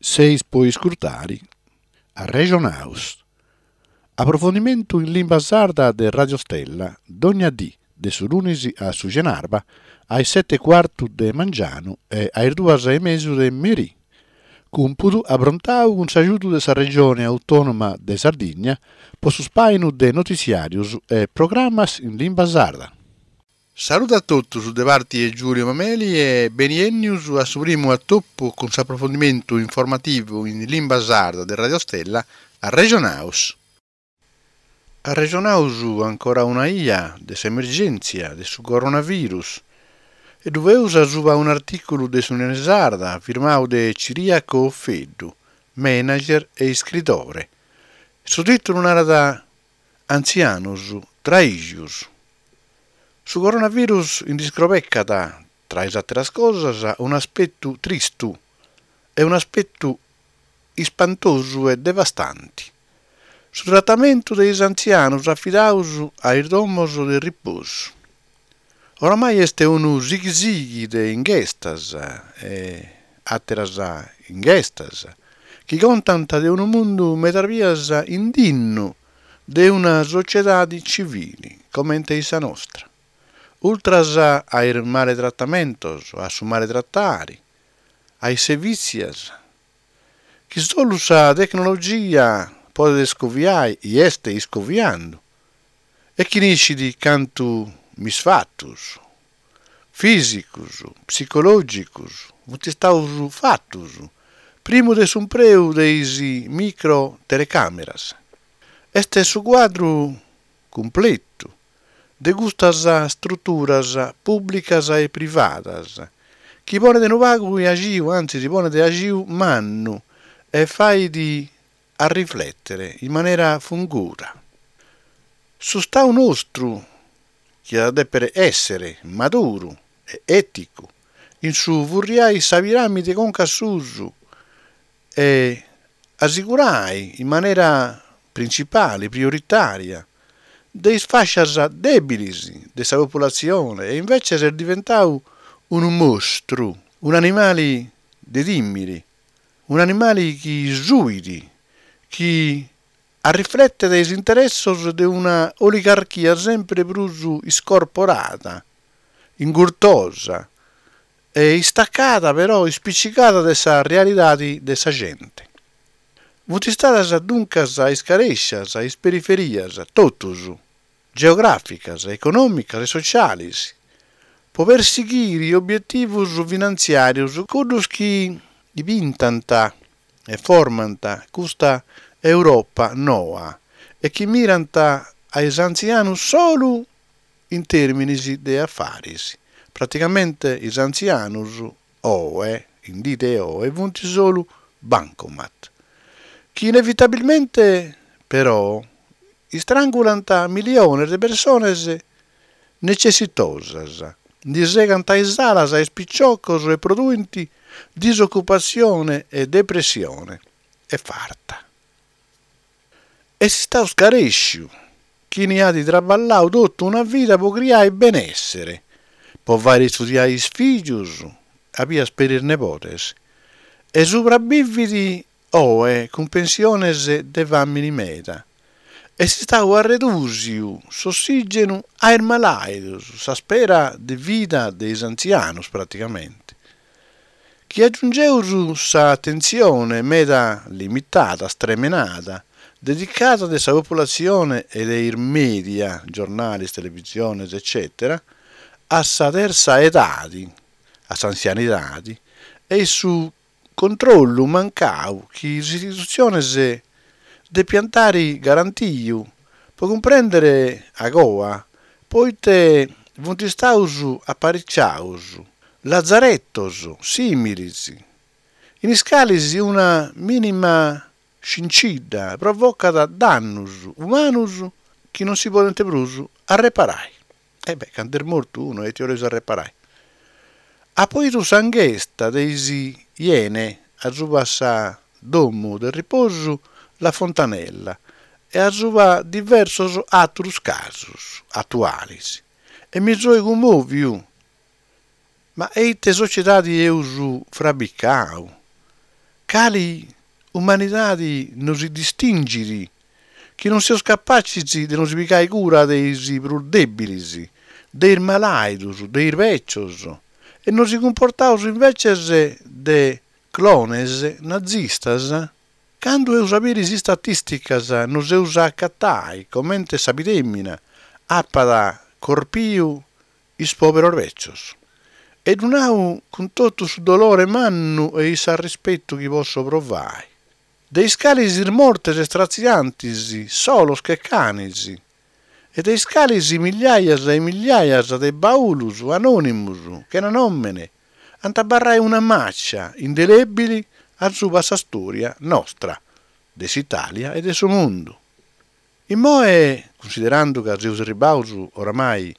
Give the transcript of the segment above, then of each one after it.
Seis po iscurtari Arrexonaus. Aprofondimentu in limba sarda de Radio Stella, dogna dì, de su lunis a su cenarba, a is seti e cuartu de mangianu e a is duas e mesu de merì. Cumpudu aprontau cun s'agiudu de sa Regione Autònoma de Sardigna po su spàinu de notitziàrius e programas in limba sarda. Saludu a totus de parti 'e Giulio Mameli e beniennius a su primu atopu cun s'aprofondimentu informativu in limba sarda de Radio Stella Arrexonaus. Arrexonaus ancora una 'ia de s'emergèntzia de su coronavirus e ddu feus asuba un'artìculu de s'Unione Sarda firmau de Ciriaco Offeddu, manager e iscritore. Su tìtulu narat Antzianus traìxius. Su coronavirus ndi scrobecat, tra is àteras cosas, un'aspetu tristu e un'aspetu ispantosu e devastanti, su tratamentu de is antzianus afidaus a is domos de riposu. Oramai est unu sighi-sighi de inghestas e àteras inghestas chi contant de unu mundu medas bias indinnu de una sociedadi civili comente sa nostra. Ultras a is maletratamentos, a su maletratari, a is sevìtzias, chi solu sa tecnologia podet iscoviai i est iscoviandu, e chini iscit cantu misfatus, fìsicus, psicològicus, funt istaus fatus primu de s'umpreu de is micro-telecàmeras. Est su cuadru cumpletu de custas struturas pùblicas e privadas chi ponet unu pagu 'e axiu, antzis ponet axiu mannu e fait arriflètere in manera funguda. Su Stau nostru chi at a dèpere èssere maduru e èticu in su furriai sa piràmide conca a susu e asigurai in manera printzipali, prioritària, de is fàscias dèbilis de sa populatzione e invècias est diventau unu mostru, un'animali de tìmiri, un'animali chi suit, chi Arrifletet is interessos de una oligarchia semper prus iscorporada, ingurtosa e istacada però ispicigada de sa realidade de sa gente. Funt istadas duncas iscarèscias is periferias, totus, geogràficas, econòmicas e sociales, po persighiri obietivos finantziàrios cuddos chi pintant e formant custa Europa noa e chi mirant a is antzianus solu in tèrminis de afaris. Praticamente is antzianus oe, in dì de oe, funt solu bancomat, chi inevitabilmente però istrangulant miliones de persones necessitosas, ndi segant is alas a is piciocos e produint disocupatzione e depressione e farta. Est istau scarèsciu chini at traballau totu una vida po criai benèssere, po fàiri istudiai is fìgius, a bias peri is nebodes, e subrabivit Oe, cun pensiones de fàmini meda, est istadu arredùsiu s'ossìgenu a is malàidos, sa spera de vida de is antzianos praticamente. Chi agiungeus sa atentzione meda limitada, stremenada, dedicada de sa populatzione e de is mèdia, giornalis, televisiones, eccètera, a sa tertza edadi, a s'antzianidadi, e su Controllu mancau chi is istitutziones depiant ari garantiu po cumprèndere agoa poite funt istaus apariciaus lazaretos sìmilis in is calis una mìnima scincidda provocat dannus umanus chi non si podent prus arreparai. E beh, candu est mortu unu ite 'oleus arreparai. Apo 'idu sa inghesta de is Iene asuba sa domu de riposu La Fontanella e asuba diversos àturus casos atualis e mi soi cummòviu. Ma e ite sociedadi eus frabicau? Cali umanidadi nosi distingit chi non seus capatzis de nosi pigai cura de is prus dèbilis, de is malàidus, de is bècios e nosi cumportaus inveces de clones nazistas? Candu eus a biri is istatìsticas nos eus a acatai comente sa pidèmina apat corpiu is pòberos bècios. E ddu nau cun totu su dolore mannu e s'arrispetu chi posso provai. De is calis is mortes stratziantis, solos che canis, e de is calis migliaias e migliaias de baulus anònimus, chena nòmene, ant a abarrai una màcia indelèbili asuba sa stòria nostra, de s'Itàlia e de su mundu. Immoe, cunsiderandu ca seus arribbaus oramai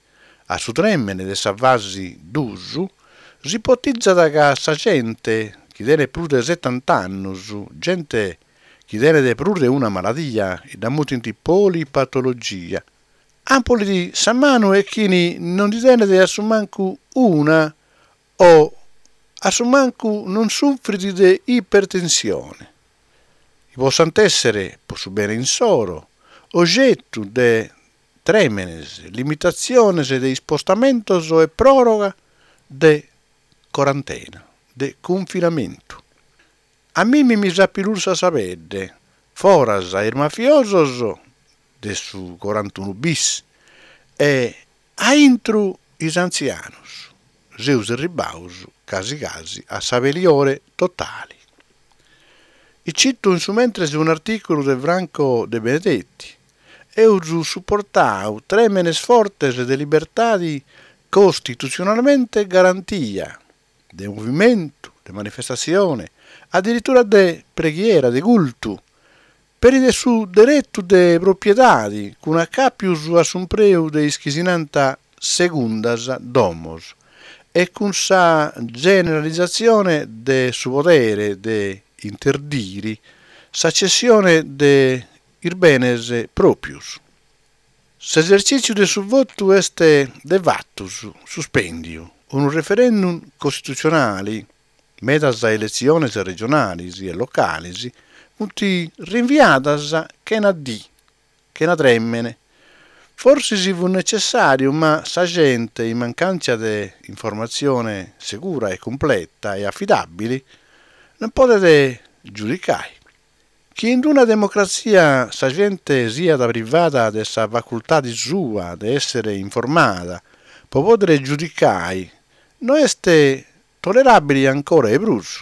a su trèmene de sa fasi dus, s'ipotizat ca sa gente chi tenet prus de setant'annus, gente chi tenet prus de una maladia, dda mutint polipatologia, ampolit sa manu 'e chini non ndi tenet a su mancu una o a su mancu non sufrit de ipertensione, chi possant èssere, pro su bene insoro, ogetu de trèmenes, limitatziones de ispostamentos e pròroga de corantena, de cunfinamentu. A mimi mi s'apilursat sa pedde, foras is mafiosos de su corantunu bis e aintru is antzianus, seus erribaus casi casi a s'abeliore totali. Cito in su mentres un'artìculu de Franco De Benedetti, Eus suportau trèmenes fortes de libertadi costitutzionalmente garantia, de movimentu, de manifestatzione, adiritura de preghiera, de cultu, peri de su deretu de propiedadi cun acàpius a s'umpreu de is chi si nant segundas domos e cun sa generalizatzione de su podere de interdiri sa cessione de is benes pròpius. S'esertzìtziu de su votu est de fatus suspèndiu, unu referendum costitutzionali, medas eletziones regionales e locales funt rinviadas chena dì, chena trèmene. Forsis fut netzessàriu ma sa gente, in mancàntzia de informatzione segura e cumpleta e afidàbili, non podet giudicai. Chi in una democratzia sa gente siat privada de sa facultade sua de èssere informada pro pòdere giudicai no est toleràbile ancora 'e prus.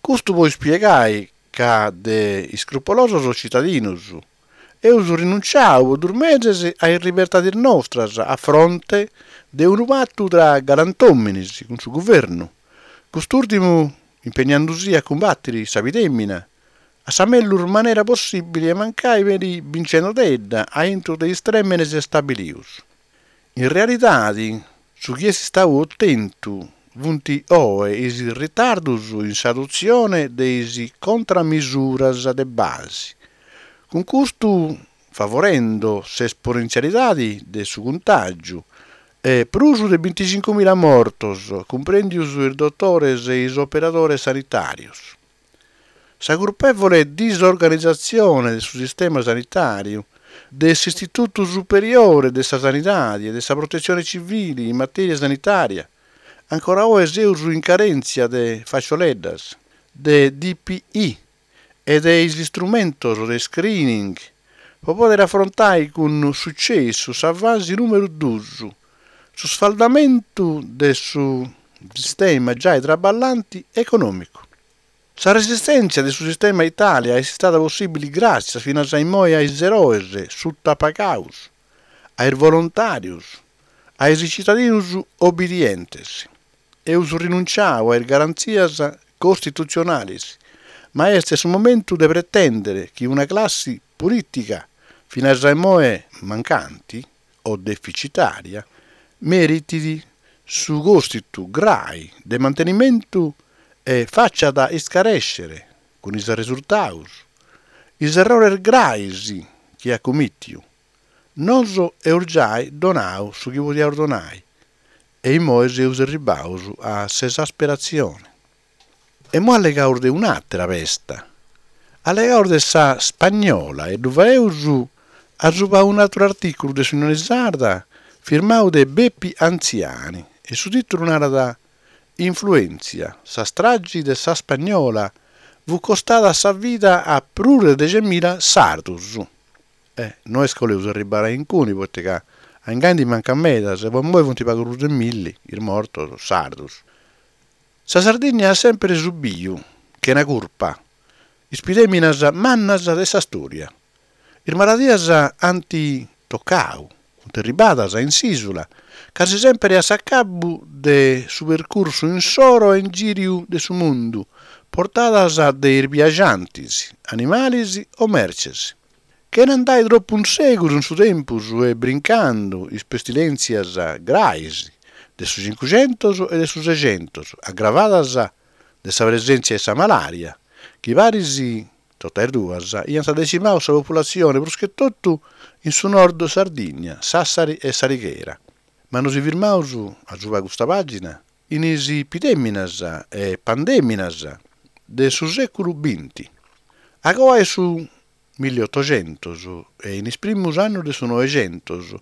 Custu po ispiegai ca de iscrupolosos citadinos eus rinunciau po dus meses a is libertades nostras a fronte de unu patu tra galantòmines cun su guvernu, cust'ùrtimu impegnandusì a cumbatiri sa pidèmina a sa mellus manera possìbili e mancai peri bincendodedda a intru de is trèmenes stabilius. In realidadi, su chi est stau otentu funt oe is ritardus in s'adotzione de is contramisuras de basi, cun custu favorendo s'esponentzialidadi de su cuntàgiu e prus de bintixincumila mortos, cumprèndius is dotores e is operadores sanitàrios. Sa curpèvole disorganizatzione de su sistema sanitàriu, de s'Istitutu Superiore de sa Sanidade e de sa Protetzione Civile in matèria sanitària, ancora oe seus in carèntzia de facioleddas, de DPI e de is istrumentos de screening pro pòdere afrontai cun sucessu sa fasi nùmeru dus, su sfaldamentu de su sistema giai traballanti econòmicu. Sa resistèntzia de su sistema Itàlia est istada possìbili gràtzias finas a immoe a is eroes sutapagaus, a is volontàrios, a is citadinus obidientes. Eus rinunciau a is garantzias costitutzionales, ma est su momentu de pretèndere chi una classi polìtica finas a immoe mancanti o deficitària meritit su còstitu grai de mantenimentu e faciat iscarèscere cun is arresurtaus is errores grais chi at cumìtiu. Nosu eus giai donau su chi podiaus donai e immoe seus erribaus a s'esasperatzione. E imoi allegaus de un'àtera pesta. Allegaus de sa spagnola e ddu faeus asuba un'àteru artìculu de s'Unione Sarda firmau de Bepi Anziani e su tìtulu narat Influèntzia, sa stragi de sa spagnola fut costada sa vida a prus de dexemila sardus. Eh, no est ca 'oleus arribbare a inguni, poita ca a ingani ndi mancat meda, po immoi funt pagu prus de milli is mortos sardus. Sa Sardigna at sèmpere subiu, chena curpa, is pidèminas mannas de sa stòria. Is maladias ant tocau, funt arribbadas in s'ìsula, casi sèmpere a s'acabu de su percursu insoro a ingìriu de su mundu, portadas de is biaxantis, animalis o mertzes. Chena andai tropu in segus in su tempus e brincandu is pestilèntzias grais de su Cincuxentos e de su Sexentos, agravadas de sa presèntzia 'e sa malària, chi paris totas is duas iant decimau sa populatzione prus che totu in su nord Sardigna, Sassari e S'Alighera. Ma nosi firmaus asuba custa pàgina in is pidèminas e pandèminas de su sèculu binti. A coa 'e su milliotoxentos e in is primus annus de su noexentos,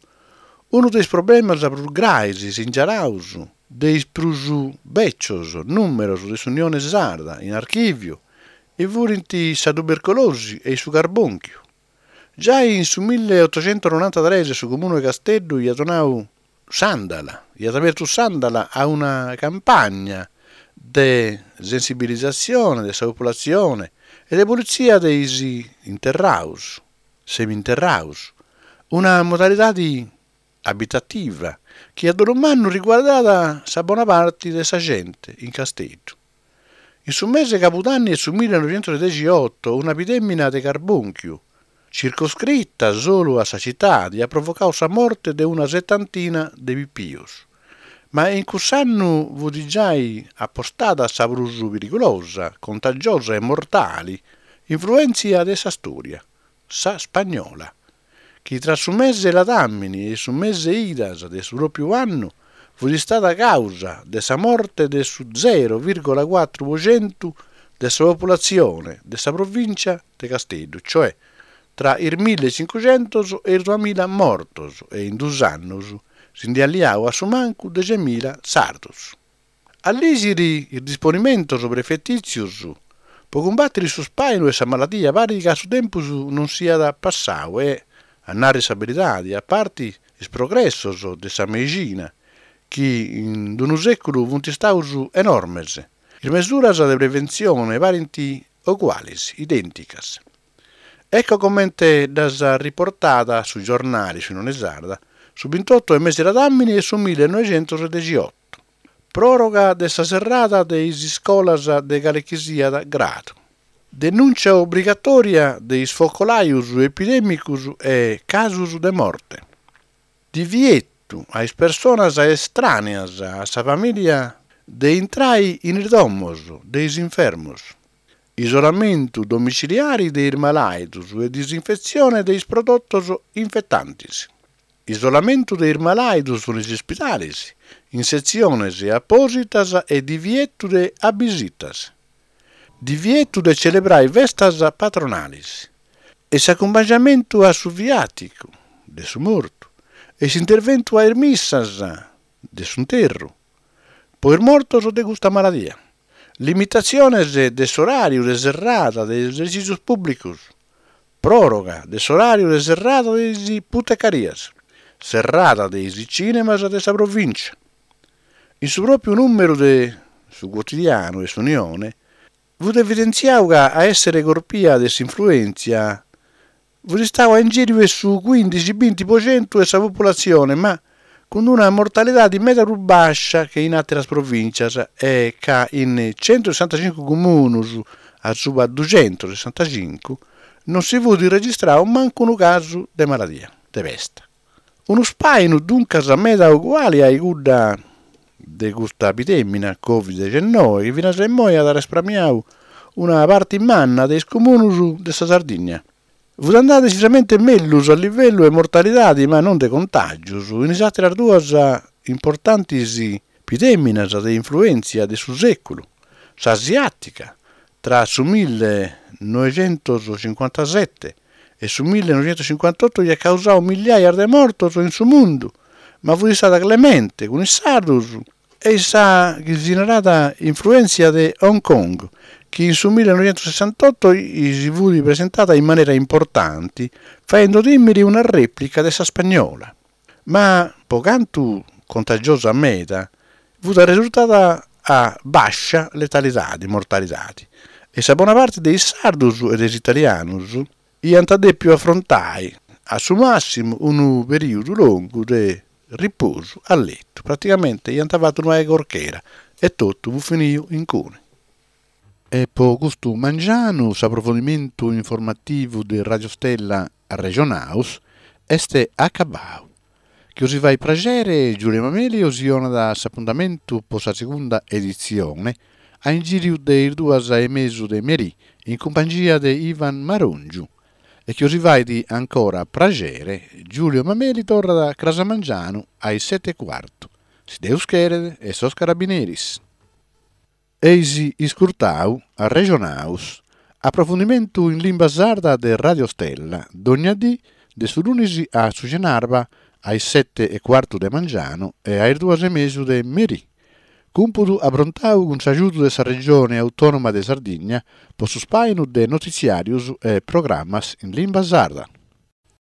unu de is problemas prus grais singialaus de is prus bècios nùmeros de s'Unione Sarda in archìviu furint sa tubercolosi e su carbònchiu. Giai in su milleotoxentonorantatres su Comunu 'e Casteddu iat donau s'àndala, iat abertu s'àndala a una campagna de sensibilizatzione de sa populatzione e de pulitzia de is interraus, seminterraus, una modalidadi abitativa chi a dolu mannu riguardat sa bona parti de sa gente in Casteddu. In su mese 'e cabudanni 'e su millenoixentosedexioto una pidèmina de carbònchiu, circoscrita solu a sa citadi, at provocau sa morte de una setantina de pipius. Ma in cuss'annu fut giai apostada sa prus perigulosa, contagiosa e mortali influèntzia de sa stòria, sa spagnola, chi tra su mese 'e ladàmini e su mese 'e idas de su pròpiu annu fut istada càusa de sa morte de su zero vìrgola cuatru po centu de sa populatzione de sa provìncia de Casteddu, cioè tra is millecincuxentos e is duamilla mortos e in dus annus si nd'iat liau a su mancu dexemila sardos. A lìgiri is disponimentos prefetìtzios po cumbàtiri su spàinu 'e sa maladia parit ca su tempus non siat passau e, a narri sa beridadi, a parti is progressos de sa meixina, chi in unu sèculu funt istaus enormes, is mesuras de preventzione parint ogualis, idènticas. Ecco comente ddas riportat su giornali S'Unione Sarda su bintotto 'e mesi ladàmini 'e su millenoixentosedexioto. Pròroga de sa serrada de is iscolas de calechisiat gradu. Denùncia obrigatòria de is focolajos epidèmicos e casos de morte. Divietu a is personas estràneas a sa famìlia de intrai in is domos de is infermos. Isolamentu domiciliari de is malàidos e disinfetzione de is prodotos infetantes. Isolamentu de is malàidos in is ispidales, in setziones apòsitas e divietu de abisitas. Divietu de celebrai festas patronales e s'acumpangiamentu a su viàticu de su mortu e s'interventu a is missas de s'interru po is mortos de custa maladia. Limitatziones de s'oràriu de serrada de is esercìtzios pùblicos Pròroga de s'oràriu de serrada de is putecarias, serrada de is cìnemas de sa provìncia. In su pròpiu nùmeru de su cuotidianu 'e s'Unione fut evidentziau ca a èssere corpia de s'influèntzia fut istau a ingìriu 'e su cuìndixi-binti po centu 'e sa populatzione ma cun una mortalidadi meda prus bàscia che in àteras provìntzias e ca in centusessantacincu comunus asuba duxentusessantacincu non si fut registrau mancu unu casu de maladia de pesta. Unu spàinu duncas meda uguali a cudda de custa epidèmina Covid dexennoi chi finas a immoi at respramiau una parti manna de is comunus de sa Sardigna. Fut andada decisamente mellus a livellu 'e mortalidadi ma non de contàgius in is àteras duas importantis pidèminas de influèntzia de su sèculu, S'asiàtica, tra su millenoighentos-cincuantasete e su millenoighentos-cincuantoto iat causau milliaias de mortos in su mundu, ma fut istada clemente cun is sardos e sa chi si narat infruèntzia de Hong Kong, chi in su millenoighentos-sessantotto si fut presentada in manera importanti, faendu tìmiri una rèplica de sa spagnola. Ma po cantu contagiosa meda, fut arresurtada a bàscia letalidadi, mortalidadi, e sa bona parti de is sardos e de is italianos iant dèpiu afrontai a su màssimu unu perìodu longu de riposu a letu, praticamente iant fatu una corchera e totu fut finiu incuni. E po custu mangianu s'aprofondimentu informativu de Radio Stella Arrexonaus est acabau. Chi 'osi fait praxere Giulio Mameli 'osi 'onat s'apuntamentu po sa segunda editzione a ingìriu de is duas e mesu de merì in cumpangia de Ivan Marongiu. E chi 'osi fait ancora praxere Giulio Mameli torrat cras a mangianu a is sete e cuartu, si Deus cheret e sos carabineris. Eis iscurtau Arrexonaus, aprofundimentu in limba sarda de Radio Stella, dogna dì de su lunis a su cenarba a is sete e cuartu de mangianu e a is duas e mesu de merì. Cumpudu aprontau cun s'agiudu de sa Regione Autònoma de Sardigna po su spàinu de notitziàrios e programas in limba sarda.